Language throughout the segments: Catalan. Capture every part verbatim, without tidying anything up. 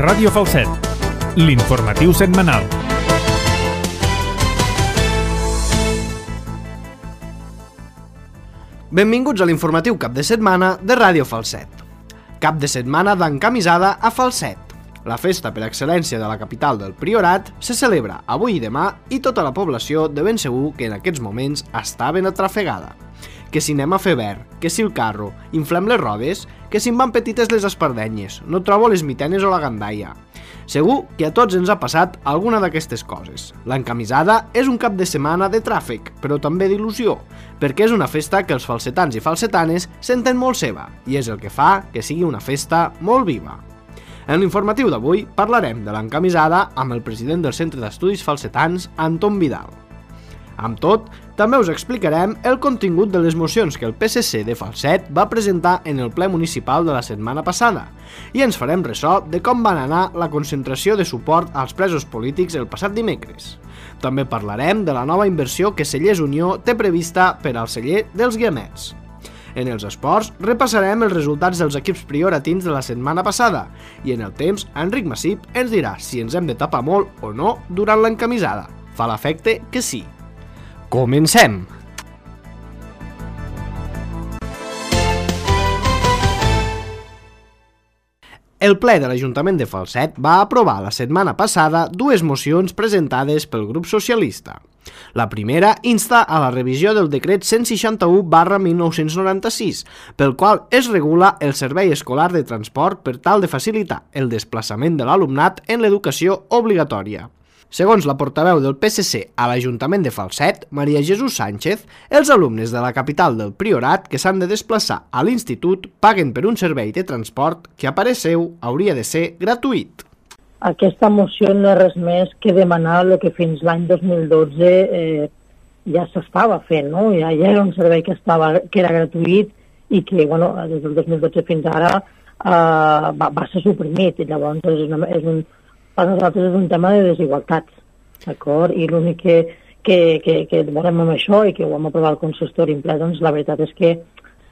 Ràdio Falset, l'informatiu setmanal. Benvinguts a l'informatiu cap de setmana de Ràdio Falset. Cap de setmana d'encamisada a Falset. La festa per excel·lència de la capital del Priorat se celebra avui i demà i tota la població de ben segur que en aquests moments està ben atrafegada. Que si anem a fer verd, que si el carro, inflem les rodes, que si em van petites les espardenyes, no trobo les mitenes o la gandaia. Segur que a tots ens ha passat alguna d'aquestes coses. L'encamisada és un cap de setmana de tràfic, però també d'il·lusió, perquè és una festa que els falsetans i falsetanes senten molt seva, i és el que fa que sigui una festa molt viva. En l'informatiu d'avui parlarem de l'encamisada amb el president del Centre d'Estudis Falsetans, Anton Vidal. Amb tot, també us explicarem el contingut de les mocions que el P S C de Falset va presentar en el ple municipal de la setmana passada i ens farem ressò de com van anar la concentració de suport als presos polítics el passat dimecres. També parlarem de la nova inversió que Cellers Unió té prevista per al celler dels Guiamets. En els esports repassarem els resultats dels equips prioratins de la setmana passada i en el temps Enric Massip ens dirà si ens hem de tapar molt o no durant l'encamisada. Fa l'efecte que sí. Comencem! El ple de l'Ajuntament de Falset va aprovar la setmana passada dues mocions presentades pel grup socialista. La primera insta a la revisió del decret cent seixanta-u barra mil nou-cents noranta-sis, pel qual es regula el servei escolar de transport per tal de facilitar el desplaçament de l'alumnat en l'educació obligatòria. Segons la portaveu del P S C a l'Ajuntament de Falset, Maria Jesús Sánchez, els alumnes de la capital del Priorat que s'han de desplaçar a l'institut paguen per un servei de transport que a parer seu hauria de ser gratuït. Aquesta moció no és res més que demanar el que fins l'any dos mil dotze eh, ja s'estava fent, no? Ja, ja era un servei que, estava, que era gratuït i que bueno, des del dos mil dotze fins ara eh, va, va ser suprimit i llavors és, una, és un per nosaltres és un tema de desigualtats, d'acord? I l'únic que, que, que, que volem amb això i que ho vam aprovar el consistori en ple, doncs la veritat és que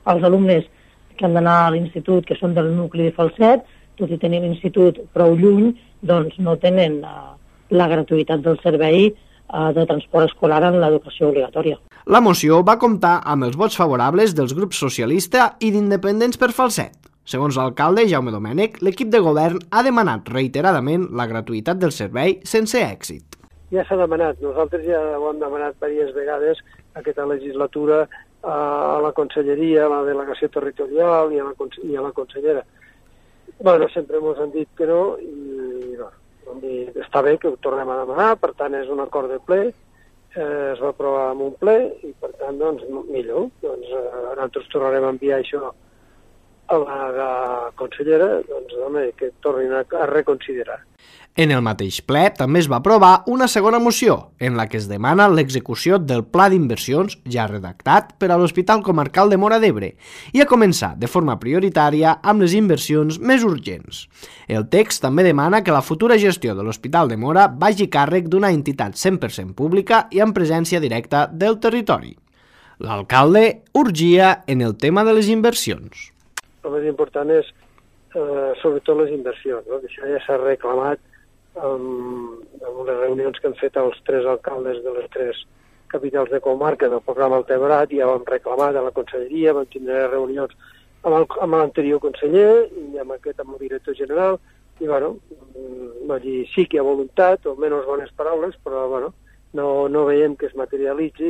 els alumnes que han d'anar a l'institut, que són del nucli de Falset, tot i tenir l'institut prou lluny, doncs no tenen uh, la gratuïtat del servei uh, de transport escolar en l'educació obligatòria. La moció va comptar amb els vots favorables dels grups socialista i d'independents per Falset. Segons l'alcalde Jaume Domènech, l'equip de govern ha demanat reiteradament la gratuïtat del servei sense èxit. Ja s'ha demanat, nosaltres ja ho hem demanat diverses vegades aquesta legislatura a la conselleria, a la delegació territorial i a la, i a la consellera. Bueno, sempre ens han dit que no i no, dir, està bé que ho tornem a demanar, per tant és un acord de ple, eh, es va aprovar en un ple i per tant doncs millor, doncs eh, nosaltres tornarem a enviar això a la consellera, doncs, home, que tornin a, a reconsiderar. En el mateix ple també es va aprovar una segona moció, en la que es demana l'execució del pla d'inversions ja redactat per a l'Hospital Comarcal de Móra d'Ebre i a començar de forma prioritària amb les inversions més urgents. El text també demana que la futura gestió de l'Hospital de Móra vagi a càrrec d'una entitat cent per cent pública i amb presència directa del territori. L'alcalde urgia en el tema de les inversions. El més important és, eh, sobretot, les inversions, no? Això ja s'ha reclamat amb, amb les reunions que han fet els tres alcaldes de les tres capitals de comarca del programa Altebrat, ja ho hem reclamat a la conselleria, vam tindre reunions amb l'anterior conseller i amb aquest, amb el director general, i bueno, dir, sí que hi ha voluntat, o menys bones paraules, però bueno, no, no veiem que es materialitzi.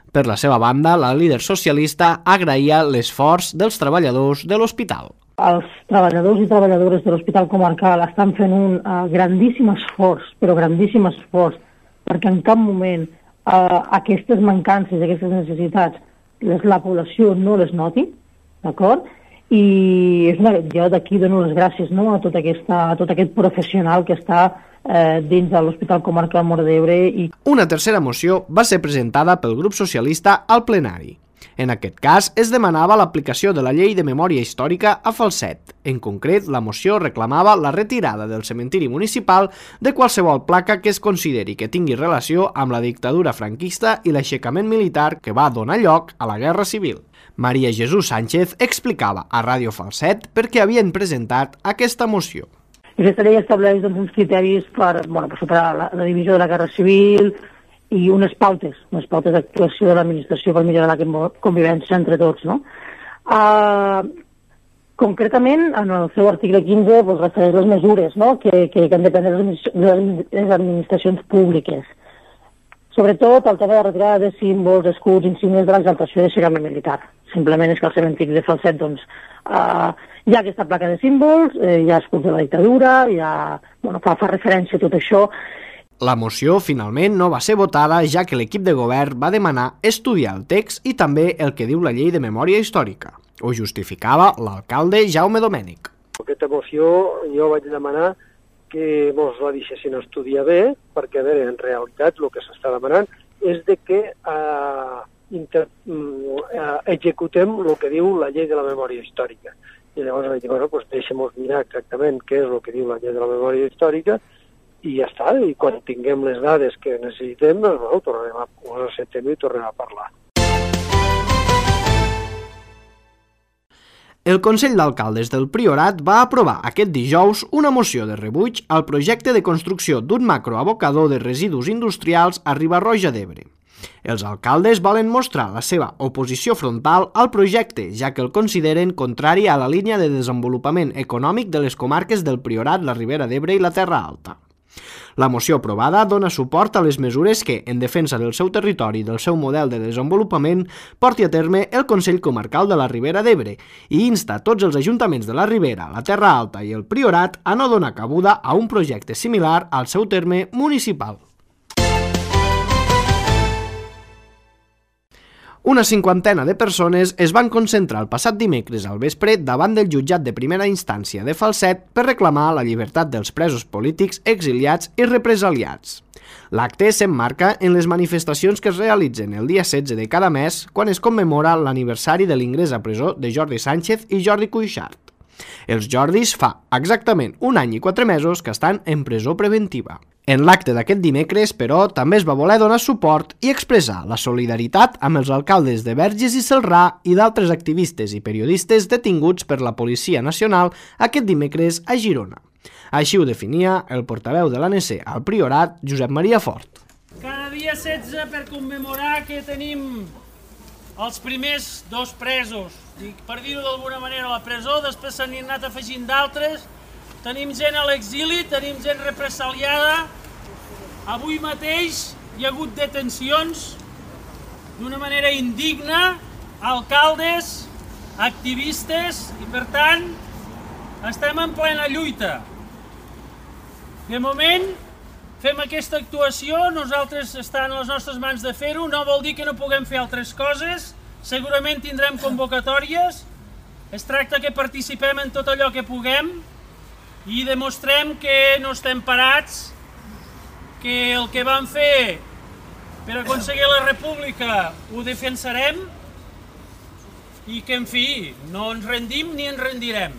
Per la seva banda, la líder socialista agraïa l'esforç dels treballadors de l'hospital. Els treballadors i treballadores de l'Hospital Comarcal estan fent un uh, grandíssim esforç, però grandíssim esforç, perquè en cap moment uh, aquestes mancances, aquestes necessitats, les, la població no les noti, d'acord? I és una, jo d'aquí dono les gràcies, no, a, tot aquesta, a tot aquest professional que està eh, dins de l'Hospital Comarcal Móra d'Ebre. I... Una tercera moció va ser presentada pel grup socialista al plenari. En aquest cas, es demanava l'aplicació de la llei de memòria històrica a Falset. En concret, la moció reclamava la retirada del cementiri municipal de qualsevol placa que es consideri que tingui relació amb la dictadura franquista i l'aixecament militar que va donar lloc a la Guerra Civil. Maria Jesús Sánchez explicava a Ràdio Falset per què havien presentat aquesta moció. Aquesta llei estableix doncs, uns criteris per, bueno, per superar la, la divisió de la guerra civil i unes pautes, unes pautes d'actuació de l'administració per millorar la convivència entre tots, no? Uh, concretament, en el seu article quinze doncs, refereix les mesures, no?, que, que, que han de prendre les administracions públiques. Sobretot el tema de retirada de símbols, escuts, insígnies de l'exaltació de xerame militar. Simplement és que al cementiri de Falset doncs, uh, hi ha aquesta placa de símbols, eh, hi ha escuts de la dictadura, hi ha, bueno, fa, fa referència a tot això. La moció finalment no va ser votada, ja que l'equip de govern va demanar estudiar el text i també el que diu la llei de memòria històrica. Ho justificava l'alcalde Jaume Domènech. Aquesta moció jo vaig demanar que mos la deixessin estudiar bé, perquè, a veure, en realitat el que s'està demanant és de que eh, inter, eh, executem el que diu la llei de la memòria històrica. I llavors vaig dir, bueno, doncs deixem-nos mirar exactament què és el que diu la llei de la memòria històrica i ja està, i quan tinguem les dades que necessitem, doncs, bueno, tornarem a, ho acceptem i tornarem a parlar. El Consell d'Alcaldes del Priorat va aprovar aquest dijous una moció de rebuig al projecte de construcció d'un macroabocador de residus industrials a Riba-roja d'Ebre. Els alcaldes volen mostrar la seva oposició frontal al projecte, ja que el consideren contrari a la línia de desenvolupament econòmic de les comarques del Priorat, la Ribera d'Ebre i la Terra Alta. La moció aprovada dona suport a les mesures que, en defensa del seu territori i del seu model de desenvolupament, porti a terme el Consell Comarcal de la Ribera d'Ebre i insta tots els ajuntaments de la Ribera, la Terra Alta i el Priorat a no donar cabuda a un projecte similar al seu terme municipal. Una cinquantena de persones es van concentrar el passat dimecres al vespre davant del jutjat de primera instància de Falset per reclamar la llibertat dels presos polítics, exiliats i represaliats. L'acte s'emmarca en les manifestacions que es realitzen el dia setze de cada mes quan es commemora l'aniversari de l'ingrés a presó de Jordi Sánchez i Jordi Cuixart. Els Jordis fa exactament un any i quatre mesos que estan en presó preventiva. En l'acte d'aquest dimecres, però, també es va voler donar suport i expressar la solidaritat amb els alcaldes de Verges i Celrà i d'altres activistes i periodistes detinguts per la Policia Nacional aquest dimecres a Girona. Així ho definia el portaveu de l'A N C al Priorat, Josep Maria Fort. Cada dia setze per commemorar que tenim els primers dos presos. I per dir-ho d'alguna manera, a la presó, després s'han anat afegint d'altres. Tenim gent a l'exili, tenim gent represaliada. Avui mateix hi ha hagut detencions d'una manera indigna, alcaldes, activistes, i per tant estem en plena lluita. De moment fem aquesta actuació, nosaltres està en les nostres mans de fer-ho, no vol dir que no puguem fer altres coses, segurament tindrem convocatòries, es tracta que participem en tot allò que puguem i demostrem que no estem parats, que el que vam fer per aconseguir la república ho defensarem i que, en fi, no ens rendim ni ens rendirem.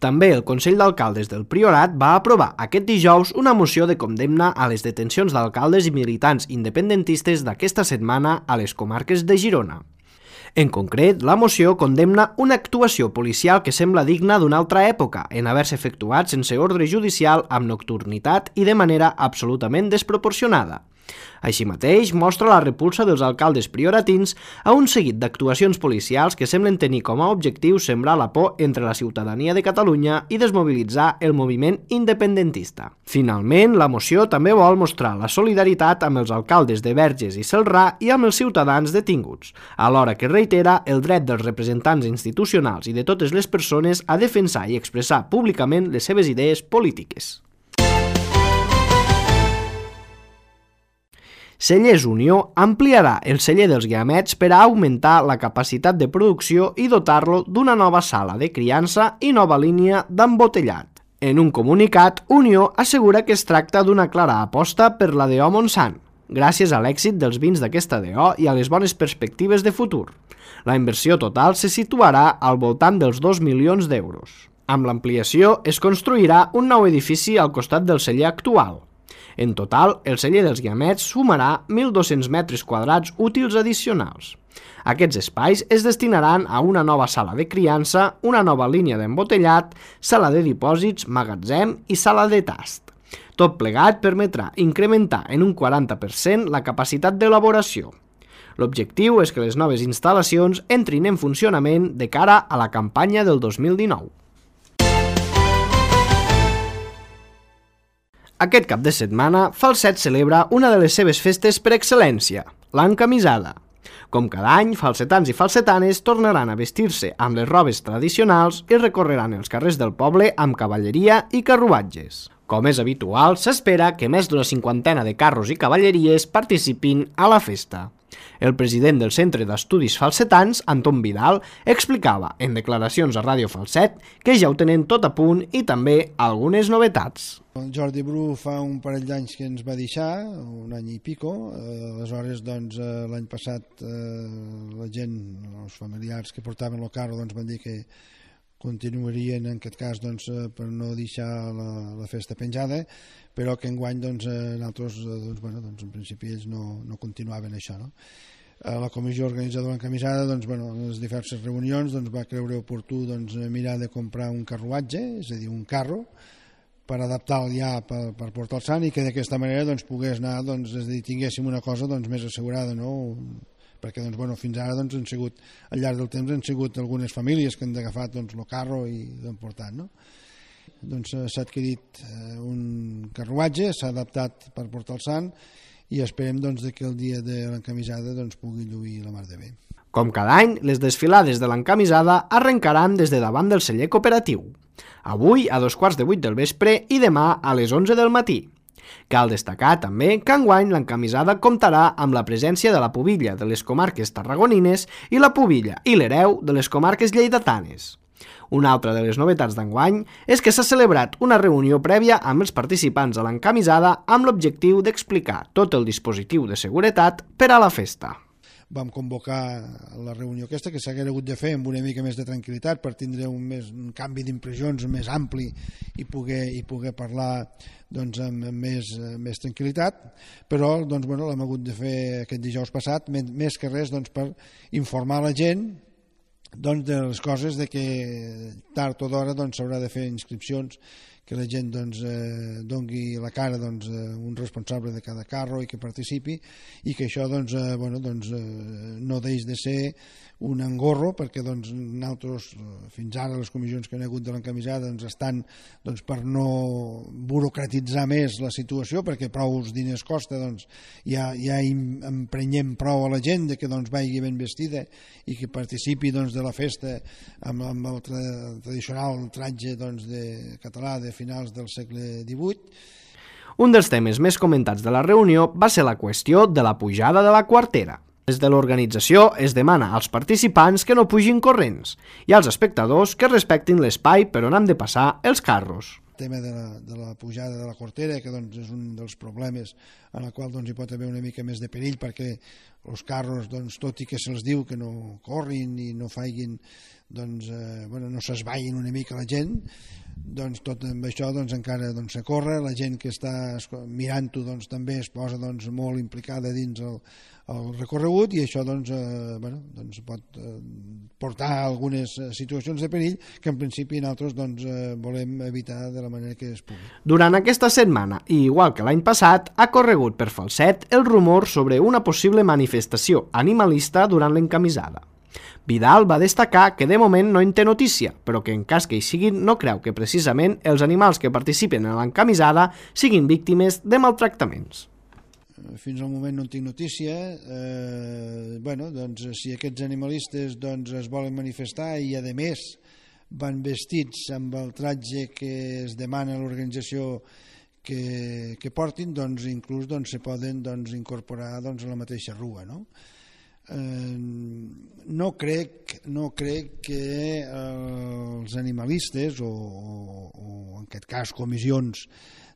També el Consell d'Alcaldes del Priorat va aprovar aquest dijous una moció de condemna a les detencions d'alcaldes i militants independentistes d'aquesta setmana a les comarques de Girona. En concret, la moció condemna una actuació policial que sembla digna d'una altra època, en haver-se efectuat sense ordre judicial, amb nocturnitat i de manera absolutament desproporcionada. Així mateix, mostra la repulsa dels alcaldes prioratins a un seguit d'actuacions policials que semblen tenir com a objectiu sembrar la por entre la ciutadania de Catalunya i desmobilitzar el moviment independentista. Finalment, la moció també vol mostrar la solidaritat amb els alcaldes de Verges i Celrà i amb els ciutadans detinguts, alhora que reitera el dret dels representants institucionals i de totes les persones a defensar i expressar públicament les seves idees polítiques. Cellers Unió ampliarà el celler dels Guiamets per a augmentar la capacitat de producció i dotar-lo d'una nova sala de criança i nova línia d'embotellat. En un comunicat, Unió assegura que es tracta d'una clara aposta per la D O Montsant, gràcies a l'èxit dels vins d'aquesta D O i a les bones perspectives de futur. La inversió total se situarà al voltant dels dos milions d'euros. Amb l'ampliació es construirà un nou edifici al costat del celler actual. En total, el celler dels Guiamets sumarà mil dos-cents metres quadrats útils addicionals. Aquests espais es destinaran a una nova sala de criança, una nova línia d'embotellat, sala de dipòsits, magatzem i sala de tast. Tot plegat permetrà incrementar en un quaranta per cent la capacitat d'elaboració. L'objectiu és que les noves instal·lacions entrin en funcionament de cara a la campanya del dos mil dinou. Aquest cap de setmana, Falset celebra una de les seves festes per excel·lència, l'encamisada. Com cada any, falsetans i falsetanes tornaran a vestir-se amb les robes tradicionals i recorreran els carrers del poble amb cavalleria i carruatges. Com és habitual, s'espera que més d'una cinquantena de carros i cavalleries participin a la festa. El president del Centre d'Estudis Falsetans, Anton Vidal, explicava en declaracions a Ràdio Falset que ja ho tenen tot a punt i també algunes novetats. Jordi Bru fa un parell d'anys que ens va deixar, un any i pico, eh, aleshores doncs, eh, l'any passat eh, la gent, els familiars que portaven el carro doncs, van dir que continuarien en aquest cas doncs, per no deixar la, la festa penjada, però que enguany doncs, nosaltres, doncs, bueno, doncs, en principi ells no, no continuaven això. No? La comissió organitzadora encamisada doncs, bueno, en les diverses reunions doncs, va creure oportú doncs, mirar de comprar un carruatge, és a dir, un carro, per adaptar-lo ja per, per portar el sant i que d'aquesta manera doncs, pogués anar, doncs, és a dir, tinguéssim una cosa doncs, més assegurada, no? Perquè doncs, bueno, fins ara doncs, han sigut, al llarg del temps han sigut algunes famílies que han agafat doncs, el carro i l'han portat. No? Doncs s'ha adquirit eh, un carruatge, s'ha adaptat per portar el sant i esperem doncs, que el dia de l'encamisada doncs, pugui lluir la mar de bé. Com cada any, les desfilades de l'encamisada arrencaran des de davant del celler cooperatiu. Avui a dos quarts de vuit del vespre i demà a les onze del matí. Cal destacar també que enguany l'encamisada comptarà amb la presència de la pubilla de les comarques tarragonines i la pubilla i l'hereu de les comarques lleidatanes. Una altra de les novetats d'enguany és que s'ha celebrat una reunió prèvia amb els participants a l'encamisada amb l'objectiu d'explicar tot el dispositiu de seguretat per a la festa. Vam convocar la reunió aquesta, que s'hagués hagut de fer amb una mica més de tranquil·litat per tindre un, més, un canvi d'impressions més ampli i poder, i poder parlar doncs, amb, amb més, més tranquil·litat, però doncs, bueno, l'hem hagut de fer aquest dijous passat, més que res doncs, per informar la gent doncs, de les coses de que tard o d'hora doncs, s'haurà de fer inscripcions, que la gent doncs, eh, dongui la cara doncs, eh, un responsable de cada carro i que participi i que això doncs, eh, bueno, doncs, eh, no deix de ser un engorro perquè doncs, nosaltres fins ara les comissions que han hagut de l'encamisada doncs, estan doncs, per no burocratitzar més la situació perquè prou diners costa doncs, ja, ja emprenyem prou a la gent de que doncs, vagi ben vestida i que participi doncs, de la festa amb, amb el tra tradicional tratge doncs, de català de finals del segle divuit. Un dels temes més comentats de la reunió va ser la qüestió de la pujada de la quartera. Des de l'organització es demana als participants que no pugin corrents i als espectadors que respectin l'espai per on han de passar els carros. El tema de la, de la pujada de la quartera, que doncs, és un dels problemes en el qual doncs, hi pot haver una mica més de perill perquè els carros, doncs, tot i que se'ls diu que no corrin i no faiguin, doncs, eh, bueno, no s'esvaïn una mica la gent, doncs tot amb això doncs, encara doncs, se corre, la gent que està mirant-ho doncs, també es posa doncs, molt implicada dins el, el recorregut i això doncs, eh, bueno, doncs pot eh, portar a algunes situacions de perill que en principi nosaltres doncs, eh, volem evitar de la manera que es pugui. Durant aquesta setmana, i igual que l'any passat, ha corregut per Falset el rumor sobre una possible manifestació animalista durant l'encamisada. Vidal va destacar que de moment no en té notícia, però que en cas que hi siguin no creu que precisament els animals que participen en l'encamisada siguin víctimes de maltractaments. Fins al moment no en tinc notícia. Eh, bueno, doncs, si aquests animalistes doncs, es volen manifestar i a més van vestits amb el tratge que es demana a l'organització que, que portin, doncs inclús doncs, se poden doncs, incorporar doncs, a la mateixa rua, no? Eh, no crec, no crec que eh, els animalistes o, o, o en aquest cas comissions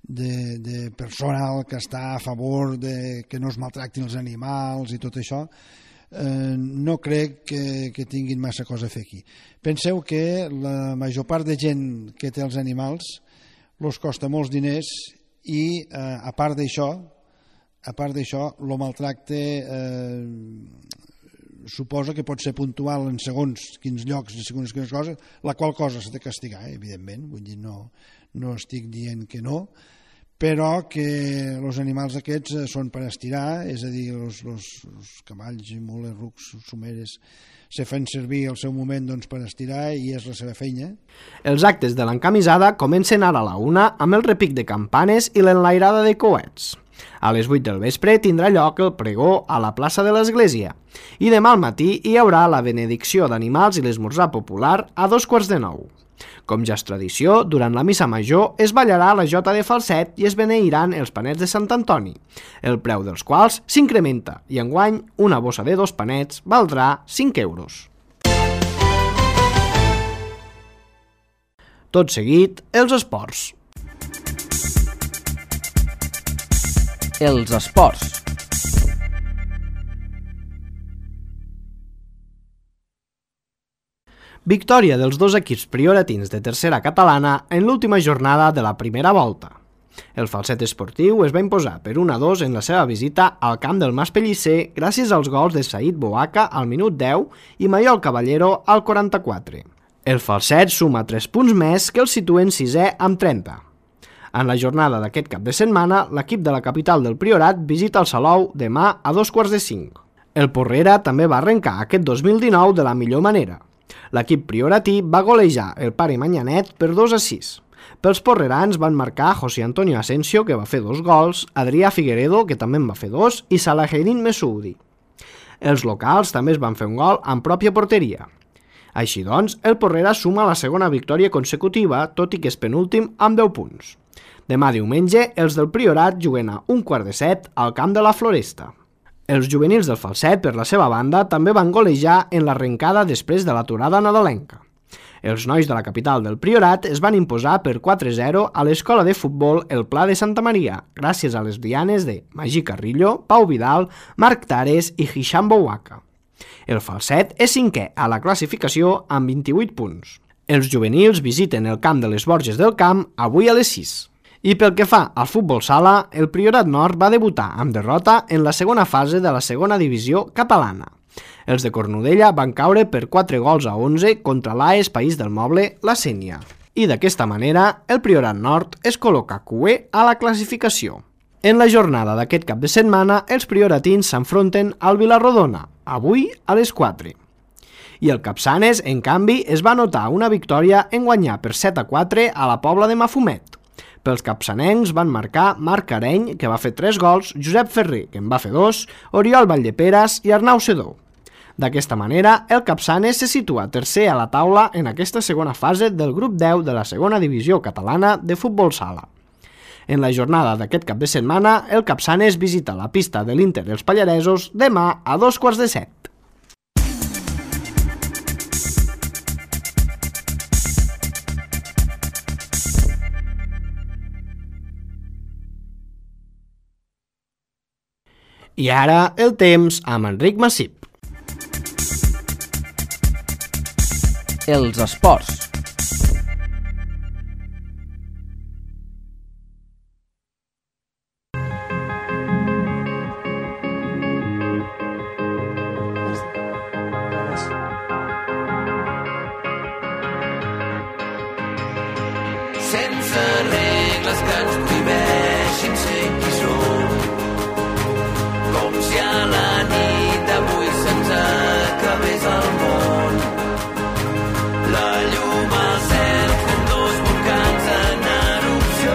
de, de personal que està a favor de que no es maltractin els animals i tot això, eh, no crec que, que tinguin massa cosa a fer aquí. Penseu que la major part de gent que té els animals els costa molts diners i eh, a part d'això, a part d'això, el maltracte eh, suposa que pot ser puntual en segons quins llocs i segons quines coses, la qual cosa s'ha de castigar, eh, evidentment, vull dir, no, no estic dient que no, però que els animals aquests són per estirar, és a dir, els cavalls, mules, rucs, someres, se fan servir al seu moment doncs, per estirar i és la seva feina. Els actes de l'encamisada comencen ara a la una amb el repic de campanes i l'enlairada de coets. A les vuit del vespre tindrà lloc el pregó a la plaça de l'església i demà al matí hi haurà la benedicció d'animals i l'esmorzar popular a dos quarts de nou. Com ja és tradició, durant la missa major es ballarà la jota de falset i es beneiran els panets de Sant Antoni, el preu dels quals s'incrementa i enguany una bossa de dos panets valdrà cinc euros. Tot seguit, els esports. Els esports. Victòria dels dos equips prioratins de tercera catalana en l'última jornada de la primera volta. El Falset Esportiu es va imposar per un a dos en la seva visita al camp del Mas Pellicer gràcies als gols de Said Boaca al minut deu i Maiol Caballero al quaranta-quatre. El Falset suma tres punts més que el situen sisè amb trenta. En la jornada d'aquest cap de setmana, l'equip de la capital del Priorat visita el Salou demà a dos quarts de cinc. El Porrera també va arrencar aquest dos mil dinou de la millor manera. L'equip prioratí va golejar el Pare Manyanet per dos a sis. Pels porrerans van marcar José Antonio Asensio, que va fer dos gols, Adrià Figueredo, que també en va fer dos, i Salaheddin Messoudi. Els locals també es van fer un gol en pròpia porteria. Així doncs, el Porrera suma la segona victòria consecutiva, tot i que és penúltim amb deu punts. Demà diumenge, els del Priorat juguen a un quart de set al camp de la Floresta. Els juvenils del Falset, per la seva banda, també van golejar en l'arrencada després de l'aturada nadalenca. Els nois de la capital del Priorat es van imposar per quatre a zero a l'escola de futbol El Pla de Santa Maria, gràcies a les dianes de Magí Carrillo, Pau Vidal, Marc Tares i Hisham Bouaka. El Falset és cinquè a la classificació amb vint-i-vuit punts. Els juvenils visiten el camp de les Borges del Camp avui a les sis. I pel que fa al futbol sala, el Priorat Nord va debutar amb derrota en la segona fase de la segona divisió catalana. Els de Cornudella van caure per quatre gols a onze contra l'A E S País del Moble, la Sénia. I d'aquesta manera, el Priorat Nord es col·loca cuè a la classificació. En la jornada d'aquest cap de setmana, els prioratins s'enfronten al Vilarrodona, avui a les quatre. I el Capçanes, en canvi, es va notar una victòria en guanyar per set a quatre a la Pobla de Mafumet. Pels capçanencs van marcar Marc Areny, que va fer tres gols, Josep Ferrer, que en va fer dos, Oriol Valldeperes i Arnau Sedó. D'aquesta manera, el Capçanes se situa tercer a la taula en aquesta segona fase del grup deu de la segona divisió catalana de futbol sala. En la jornada d'aquest cap de setmana, el Capçanes visita la pista de l'Inter dels Pallaresos demà a dos quarts de set. I ara el temps amb Enric Massip. Els esports. Sense regles que ens prohibeixin ser qui som. Com si a la nit d'avui se'ns acabés el món. La llum al cel fent dos volcans en erupció.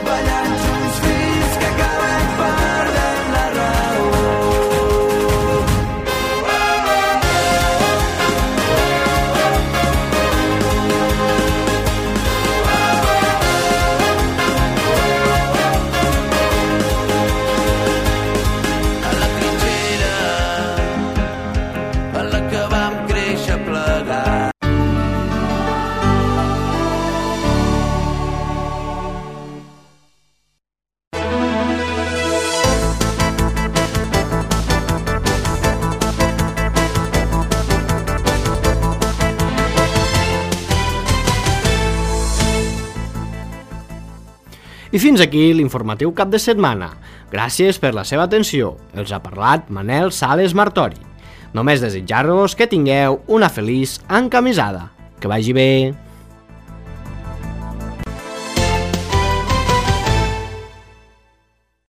Ballant junts fins que acabem perdent la raó. I fins aquí l'informatiu cap de setmana. Gràcies per la seva atenció. Els ha parlat Manel Sales Martori. Només desitjar-vos que tingueu una feliç encamisada. Que vagi bé.